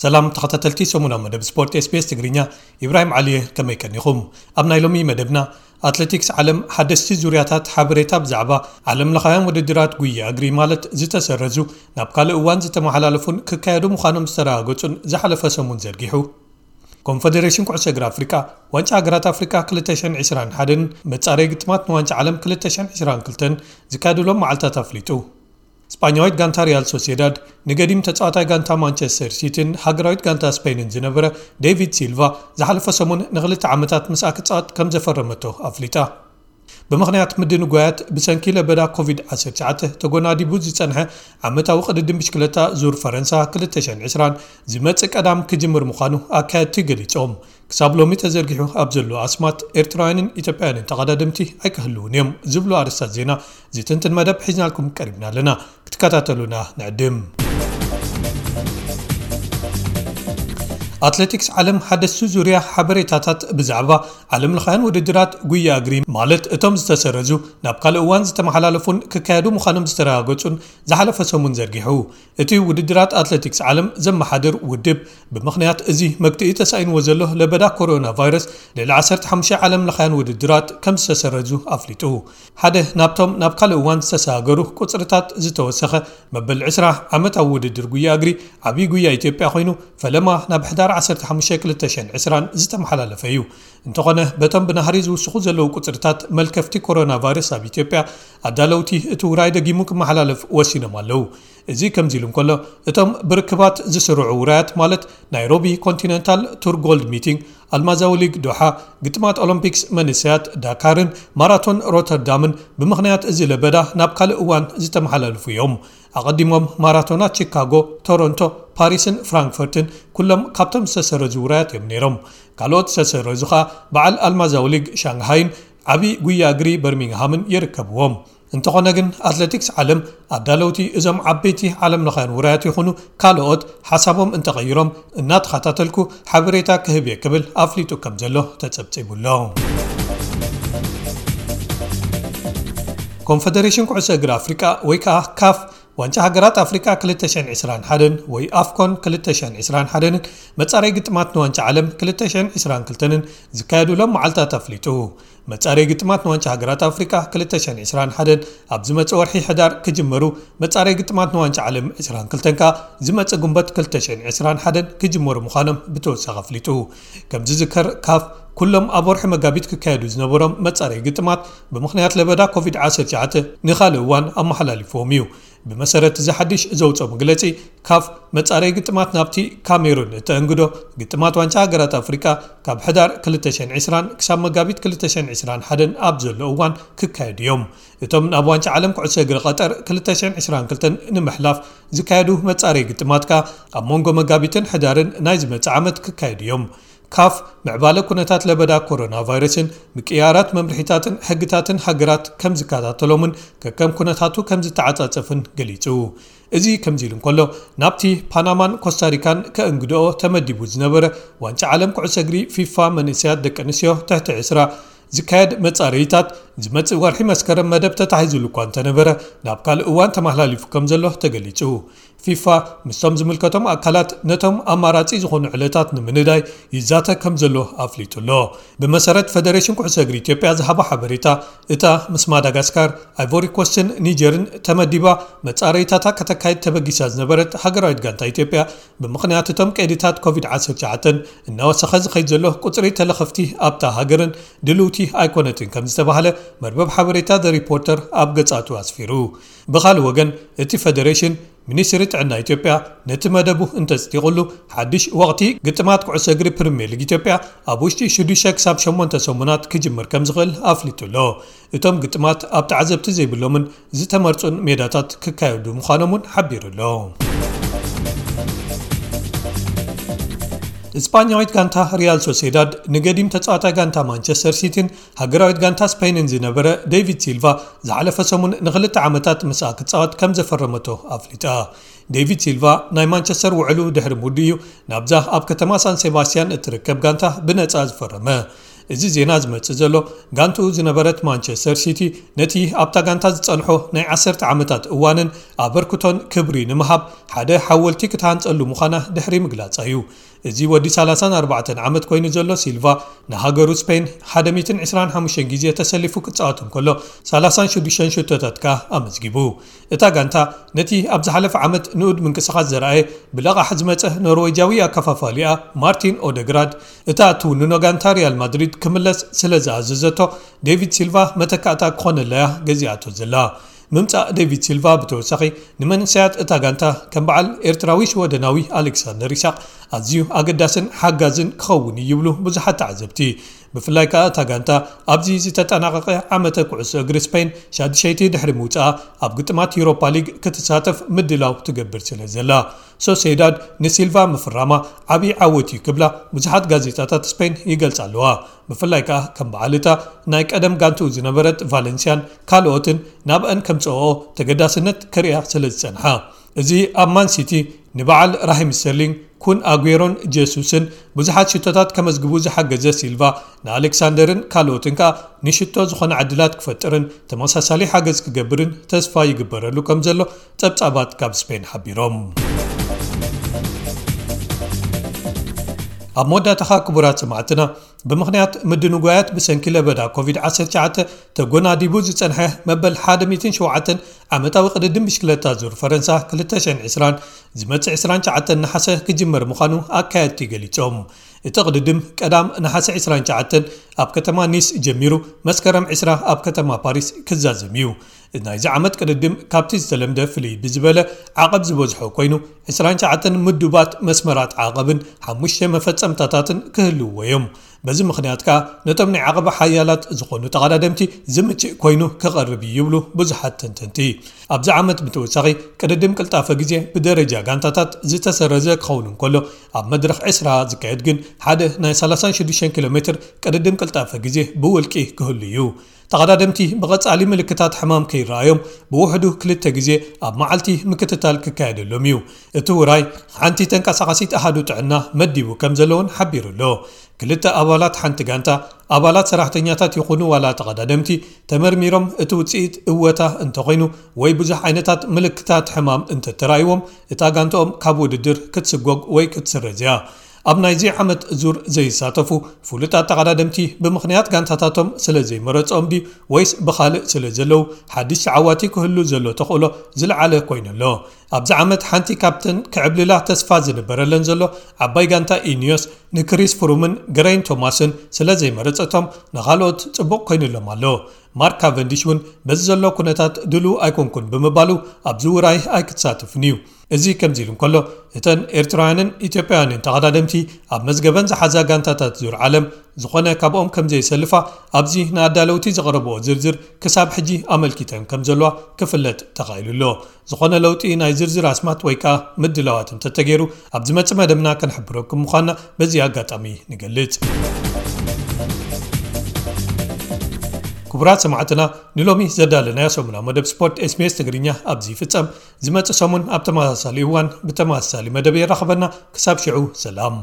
ሰላም ተኸታተልቲ ሰሙናዊ መደብ ስፖርት ኤስቢኤስ ትግርኛ፣ ኢብራሂም ዓሊ እየ። ከመይ ቀኒኹም? ኣብ ናይ ሎሚ መደብና፣ ኣትሌቲክስ ዓለም ሓደስቲ ዙርያታት ሓበሬታ ብዛዕባ ዓለም ለኻውያን ውድድራት ጉያ እግሪ፣ ማለት ዝተሰረዙ፣ ናብ ካልእ እዋን ዝተመሓላለፉን ክካየዱ ምዃኖም ዝተረጋገጹን ዝሓለፈ ሰሙን ዘርጊሑ። ኮንፈደሬሽን ኩዕሶ እግሪ ኣፍሪቃ፣ ዋንጫ ሃገራት ኣፍሪቃ ክልተ ሽሕን ዕስራን ሓደን መጻረይ ግጥማት ንዋንጫ ዓለም ክልተ ሽሕን ዕስራን ክልተን ዝካየድሎም መዓልታት ኣፍሊጡ። ስጳኛዊት ጋንታ ሪያል ሶሴዳድ ንገዲም ተጻዋታይ ጋንታ ማንቸስተር ሲቲን ሃገራዊት ጋንታ ስፔንን ዝነበረ ዴቪድ ሲልቫ ዝሓለፈ ሰሙን ንኽልተ ዓመታት ምስኣ ክጻወት ከም ዘፈረመቶ ኣፍሊጣ። ብምኽንያት ምድንጓያት ብሰንኪ ለበዳ ኮቪድ ዓሰርተ ትሽዓተ ተጎናዲቡ ዝጸንሐ ዓመታዊ ቅድድም ብሽክለታ ዙር ፈረንሳ ክልተ ሽሕን ዕስራን ዝመጽእ ቀዳም ክጅምር ምዃኑ ኣካየድቲ ገሊጾም። ክሳብ ሎሚ ተዘርጊሑ ኣብ ዘሎ ኣስማት ኤርትራውያንን ኢትዮጵያውያንን ተቐዳደምቲ ኣይክህልውን እዮም ዝብሉ ኣርእስታት ዜና ዝትንትን መደብ ሒዝናልኩም ቀሪብና ኣለና። ክትከታተሉና ንዕድም። ኣትሌቲክስ ዓለም ሓደስቲ ዙርያ ሓበሬታታት ብዛዕባ ዓለም ለኻውያን ውድድራት ጉያ እግሪ፣ ማለት እቶም ዝተሰረዙ፣ ናብ ካልእ እዋን ዝተመሓላለፉን ክካየዱ ምዃኖም ዝተረጋገጹን ዝሓለፈ ሰሙን ዘርጊሑ። እቲ ውድድራት ኣትሌቲክስ ዓለም ዘመሓድር ውድብ፣ ብምኽንያት እዚ መግትኢ ተሳኢንዎ ዘሎ ለበዳ ኮሮና ቫይረስ፣ ልዕሊ ዓሰርተ ሓሙሽተ ዓለም ለኻውያን ውድድራት ከም ዝተሰረዙ ኣፍሊጡ። ሓደ ናብቶም ናብ ካልእ እዋን ዝተሰጋገሩ ቁጽርታት ዝተወሰኸ መበል ዕስራ ዓመታዊ ውድድር ጉያ እግሪ ዓብዪ ጉያ ኢትዮጵያ ኮይኑ፣ ፈለማ ናብ ሕዳር ዓሰርተ ሓሙሽተ ክልተ ሽሕን ዕስራን ዝተመሓላለፈ እዩ። እንተኾነ፣ በቶም ብናህሪ ዝውስኹ ዘለዉ ቁጽርታት መልከፍቲ ኮሮና ቫይረስ ኣብ ኢትዮጵያ፣ ኣዳለውቲ እቲ ውራይ ደጊሙ ክመሓላለፍ ወሲኖም ኣለዉ። እዚ ከምዚ ኢሉ እንከሎ፣ እቶም ብርክባት ዝስርዑ ውራያት፣ ማለት ናይሮቢ ኮንቲነንታል ቱር ጎልድ ሚቲንግ፣ ኣልማዛዊ ሊግ ዶሓ፣ ግጥማት ኦሎምፒክስ መንእሰያት ዳካርን ማራቶን ሮተርዳምን፣ ብምኽንያት እዚ ለበዳ ናብ ካልእ እዋን ዝተመሓላለፉ እዮም። ኣቐዲሞም ማራቶናት ቺካጎ፣ ቶሮንቶ፣ ፓሪስን ፍራንክፈርትን ኩሎም ካብቶም ዝተሰረዙ ውራያት እዮም ነይሮም። ካልኦት ዝተሰረዙ ኸኣ በዓል ኣልማዛዊ ሊግ ሻንግሃይን ዓቢ ጉያ እግሪ በርሚንግሃምን ይርከብዎም። እንተኾነ ግን፣ ኣትሌቲክስ ዓለም ኣዳለውቲ እዞም ዓበይቲ ዓለም ለኻውያን ውራያት ይኹኑ ካልኦት ሓሳቦም እንተቐይሮም እናተኸታተልኩ ሓበሬታ ክህብ እየ ክብል ኣፍሊጡ ከም ዘሎ ተጸብጺቡ ኣሎ። ኮንፈደሬሽን ኩዕሶ እግሪ ኣፍሪቃ ወይ ከዓ ካፍ፣ ዋንጫ ሃገራት ኣፍሪቃ ክልተ ሽሕን ዕስራን ሓደን ወይ ኣፍኮን ክልተ ሽሕን ዕስራን ሓደን መጻረይ ግጥማት ንዋንጫ ዓለም ክልተ ሽሕን ዕስራን ክልተን ዝካየዱሎም መዓልታት ኣፍሊጡ። መጻረይ ግጥማት ንዋንጫ ሃገራት ኣፍሪቃ ክልተ ሽሕን ዕስራን ሓደን ኣብ ዝመጽእ ወርሒ ሕዳር ክጅመሩ፣ መጻረይ ግጥማት ንዋንጫ ዓለም ዕስራን ክልተን ከኣ ዝመጽእ ጉንበት ክልተ ሽሕን ዕስራን ሓደን ክጅመሩ ምዃኖም ብተወሳኺ ኣፍሊጡ። ከም ዝዝከር፣ ካፍ ኩሎም ኣብ ወርሒ መጋቢት ክካየዱ ዝነበሮም መጻረይ ግጥማት ብምኽንያት ለበዳ ኮቪድ ዓሰርተ ትሽዓተ ንኻልእ እዋን ኣመሓላሊፍዎም እዩ። ብመሰረት እዚ ሓድሽ ዘውፅኦ መግለፂ፣ ካፍ መጻረይ ግጥማት ናብቲ ካሜሩን እተእንግዶ፣ ግጥማት ዋንጫ ሃገራት ኣፍሪቃ ካብ ሕዳር ክልተ ሽሕን ዕስራን ክሳብ መጋቢት ክልተ ሽሕን ዕስራን ሓደን ኣብ ዘሎ እዋን ክካየዱ እዮም። እቶም ናብ ዋንጫ ዓለም ኩዕሶ እግሪ ቀጠር ክልተ ሽሕን ዕስራን ክልተን ንምሕላፍ ዝካየዱ መጻረይ ግጥማት ከኣ ኣብ መንጎ መጋቢትን ሕዳርን ናይ ዝመጽእ ዓመት ክካየዱ እዮም። ካፍ ምዕባለ ኩነታት ለበዳ ኮሮና ቫይረስን ምቅያራት መምርሒታትን ሕግታትን ሃገራት ከም ዝከታተሎምን ከከም ኩነታቱ ከም ዝተዓጻጸፍን ገሊጹ። እዚ ከምዚ ኢሉ እንከሎ፣ ናብቲ ፓናማን ኮስታሪካን ከእንግድኦ ተመዲቡ ዝነበረ ዋንጫ ዓለም ኩዕሶ እግሪ ፊፋ መንእሰያት ደቂ ኣንስትዮ ትሕቲ ዕስራ ዝካየድ መጻረይታት ዝመጽእ ወርሒ መስከረም መደብ ተታሒዙሉ እኳ እንተነበረ፣ ናብ ካልእ እዋን ተመሓላሊፉ ከም ዘሎ ተገሊጹ። ፊፋ ምስቶም ዝምልከቶም ኣካላት ነቶም ኣማራጺ ዝኾኑ ዕለታት ንምንዳይ ይዛተ ከም ዘሎ ኣፍሊጡ ኣሎ። ብመሰረት ፈደሬሽን ኩዕሶ እግሪ ኢትዮጵያ ዝሃቦ ሓበሬታ፣ እታ ምስ ማዳጋስካር፣ ኣይቮሪ ኮስትን ኒጀርን ተመዲባ መጻረይታታ ከተካይድ ተበጊሳ ዝነበረት ሃገራዊት ጋንታ ኢትዮጵያ፣ ብምኽንያት እቶም ቀይድታት ኮቪድ ዓሰርተ ትሽዓተ እናወሰኸ ዝኸይድ ዘሎ ቁጽሪ ተለኸፍቲ ኣብታ ሃገርን ድልውቲ ኣይኮነትን ከም ዝተባህለ መርበብ ሓበሬታ ዘ ሪፖርተር ኣብ ገጻቱ ኣስፊሩ። ብኻልእ ወገን፣ እቲ ፈደሬሽን፣ ሚኒስትሪ ጥዕና ኢትዮጵያ ነቲ መደቡ እንተጽዲቑሉ፣ ሓድሽ ወቕቲ ግጥማት ኩዕሶ እግሪ ፕሪምየር ሊግ ኢትዮጵያ ኣብ ውሽጢ ሽዱሽተ ክሳብ ሸሞንተ ሰሙናት ክጅምር ከም ዝኽእል ኣፍሊጡ ኣሎ። እቶም ግጥማት ኣብ ተዓዘብቲ ዘይብሎምን ዝተመርጹን ሜዳታት ክካየዱ ምዃኖም እውን ሓቢሩ ኣሎ። እስጳኛዊት ጋንታ ሪያል ሶሴዳድ ንገዲም ተጻዋታይ ጋንታ ማንቸስተር ሲቲን ሃገራዊት ጋንታ ስፔንን ዝነበረ ዴቪድ ሲልቫ ዝሓለፈ ሰሙን ንኽልተ ዓመታት ምስኣ ክጻወት ከም ዘፈረመቶ ኣፍሊጣ። ዴቪድ ሲልቫ ናይ ማንቸስተር ውዕሉ ድሕሪ ምውድኡ እዩ ናብዛ ኣብ ከተማ ሳን ሴባስቲያን እትርከብ ጋንታ ብነጻ ዝፈረመ። እዚ ዜና ዝመጽእ ዘሎ፣ ጋንትኡ ዝነበረት ማንቸስተር ሲቲ ነቲ ኣብታ ጋንታ ዝጸንሖ ናይ ዓሰርተ ዓመታት እዋንን ኣበርክቶን ክብሪ ንምሃብ ሓደ ሓወልቲ ክትሃንጸሉ ምዃና ድሕሪ ምግላጻ እዩ። እዚ ወዲ ሰላሳን ኣርባዕተን ዓመት ኮይኑ ዘሎ ሲልቫ፣ ንሃገሩ ስፔን ሓደ ሚእትን ዕስራን ሓሙሽተን ግዜ ተሰሊፉ ክጻወት እንከሎ፣ ሰላሳን ሽዱሽተን ሽቶታት ከኣ ኣመዝጊቡ። እታ ጋንታ ነቲ ኣብ ዝሓለፈ ዓመት ንኡድ ምንቅስቓስ ዘርኣየ ብለቓሕ ዝመጸ ኖርዌጃዊ ኣከፋፋሊኣ ማርቲን ኦደግራድ፣ እታ እትውንኖ ጋንታ ሪያል ማድሪድ ክምለስ ስለ ዝኣዘዘቶ፣ ዴቪድ ሲልቫ መተካእታ ክኾነላያ ገዚኣቶ ዘላ። ምምጻእ ዴቪድ ሲልቫ ብተወሳኺ ንመንእሰያት እታ ጋንታ ከም በዓል ኤርትራዊ ሽወደናዊ ኣሌክሳንደር ኢሳቕ ኣዝዩ ኣገዳስን ሓጋዝን ክኸውን እዩ ይብሉ ብዙሓት ተዓዘብቲ። ብፍላይ ከኣ እታ ጋንታ ኣብዚ ዝተጠናቐቐ ዓመተ ኩዕሶ እግሪ ስፔን ሻድሸይቲ ድሕሪ ምውጻኣ ኣብ ግጥማት ዩሮፓ ሊግ ክትሳተፍ ምድላው ትገብር ስለ ዘላ፣ ሶሴዳድ ንሲልቫ ምፍራማ ዓብዪ ዓወት እዩ ክብላ ብዙሓት ጋዜጣታት ስፔን ይገልጻ ኣለዋ። ብፍላይ ከኣ ከም በዓል እታ ናይ ቀደም ጋንትኡ ዝነበረት ቫለንሲያን ካልኦትን ናብአን ከምጽኦ ተገዳስነት ከርእያ ስለ ዝጸንሓ። እዚ ኣብ ማን ሲቲ ንበዓል ራሂም ስተርሊንግ፣ ኩን ኣጉዌሮን ጀሱስን ብዙሓት ሽቶታት ከመዝግቡ ዝሓገዘ ሲልቫ፣ ንኣሌክሳንደርን ካልኦትን ከኣ ንሽቶ ዝኾነ ዕድላት ክፈጥርን ተመሳሳሊ ሓገዝ ክገብርን ተስፋ ይግበረሉ ከም ዘሎ ጸብጻባት ካብ ስፔን ሓቢሮም። ኣብ መወዳእታ ከኣ ክቡራት ሰማዕትና፣ ብምኽንያት ምድንጓያት ብሰንኪ ለበዳ ኮቪድ ዓሰርተ ትሽዓተ ተጎናዲቡ ዝጸንሐ መበል ሓደ ሚእትን ሸውዓተን ዓመታዊ ቅድድም ብሽክለታ ዙር ፈረንሳ ክልተ ሽሕን ዕስራን ዝመጽእ ዕስራን ትሽዓተን ነሓሰ ክጅመር ምዃኑ ኣካየድቲ ገሊጾም። እቲ ቅድድም ቀዳም ነሓሰ ዕስራን ትሽዓተን ኣብ ከተማ ኒስ ጀሚሩ መስከረም ዕስራ ኣብ ከተማ ፓሪስ ክዛዘም እዩ። ናይዚ ዓመት ቅድድም ካብቲ ዝተለምደ ፍልይ ብዝበለ ዓቐብ ዝበዝሖ ኮይኑ፣ ዕስራን ትሽዓተን ምዱባት መስመራት ዓቐብን ሓሙሽተ መፈጸምታታትን ክህልውዎ እዮም። በዚ ምኽንያት ከኣ ነቶም ናይ ዓቐብ ሓያላት ዝኾኑ ተቐዳደምቲ ዝምችእ ኮይኑ ክቐርብ እዩ ይብሉ ብዙሓት ተንተንቲ። ኣብዚ ዓመት ብተወሳኺ ቅድድም ቅልጣፈ ግዜ ብደረጃ ጋንታታት ዝተሰረዘ ክኸውን እንከሎ፣ ኣብ መድረኽ ዕስራ ዝካየድ ግን ሓደ ናይ ሰላሳን ሽዱሽተን ኪሎ ሜትር ቅድድም ቅልጣፈ ግዜ ብውልቂ ክህሉ እዩ። ተቐዳደምቲ ብቐጻሊ ምልክታት ሕማም ከይረኣዮም ብውሕዱ ክልተ ግዜ ኣብ መዓልቲ ምክትታል ክካየደሎም እዩ። እቲ ውራይ ሓንቲ ተንቀሳቓሲት ኣሃዱ ጥዕና መዲቡ ከም ዘለውን ሓቢሩ ኣሎ። ክልተ ኣባላት ሓንቲ ጋንታ፣ ኣባላት ሰራሕተኛታት ይኹኑ ዋላ ተቐዳደምቲ፣ ተመርሚሮም እቲ ውጽኢት እወታ እንተኾይኑ ወይ ብዙሕ ዓይነታት ምልክታት ሕማም እንተተራእይዎም፣ እታ ጋንታኦም ካብ ውድድር ክትስጎግ ወይ ክትስረዝ እያ። ኣብ ናይዚ ዓመት ዙር ዘይሳተፉ ፍሉጣት ተቐዳደምቲ ብምኽንያት ጋንታታቶም ስለ ዘይመረጾም ድዩ ወይስ ብኻልእ ስለ ዘለዉ ሓድሽ ተዓዋቲ ክህሉ ዘሎ ተኽእሎ ዝለዓለ ኮይኑ ኣሎ። ኣብዚ ዓመት ሓንቲ ካብተን ክዕብልላ ተስፋ ዝንበረለን ዘሎ ዓባይ ጋንታ ኢኒዮስ ንክሪስ ፍሩምን ገረይን ቶማስን ስለ ዘይመረጸቶም ንኻልኦት ጽቡቕ ኮይኑሎም ኣሎ። ማርክ ካቨንዲሽ እውን በዚ ዘሎ ኩነታት ድሉው ኣይኮንኩን ብምባሉ ኣብዚ ውራይ ኣይክትሳተፍን እዩ። እዚ ከምዚ ኢሉ እንከሎ፣ እተን ኤርትራውያንን ኢትዮጵያውያንን ተቐዳደምቲ ኣብ መዝገበን ዝሓዛ ጋንታታት ዙር ዓለም ዝኾነ ካብኦም ከም ዘየሰልፋ ኣብዚ ንኣዳለውቲ ዘቕረብኦ ዝርዝር ክሳብ ሕጂ ኣመልኪተን ከም ዘለዋ ክፍለጥ ተኻኢሉ ኣሎ። ዝኾነ ለውጢ ናይ ዝርዝር ኣስማት ወይ ከኣ ምድላዋት እንተተገይሩ ኣብ ዝመጽእ መደብና ከነሕብረኩም ምዃንና በዚ ኣጋጣሚ ንገልጽ። ክቡራት ሰማዕትና፣ ንሎሚ ዘዳለናዮ ሰሙናዊ መደብ ስፖርት ኤስቢኤስ ትግርኛ ኣብዚ ይፍጸም። ዝመጽእ ሰሙን ኣብ ተመሳሳሊ እዋን ብተመሳሳሊ መደብ የራኽበና። ክሳብ ሽዑ ሰላም።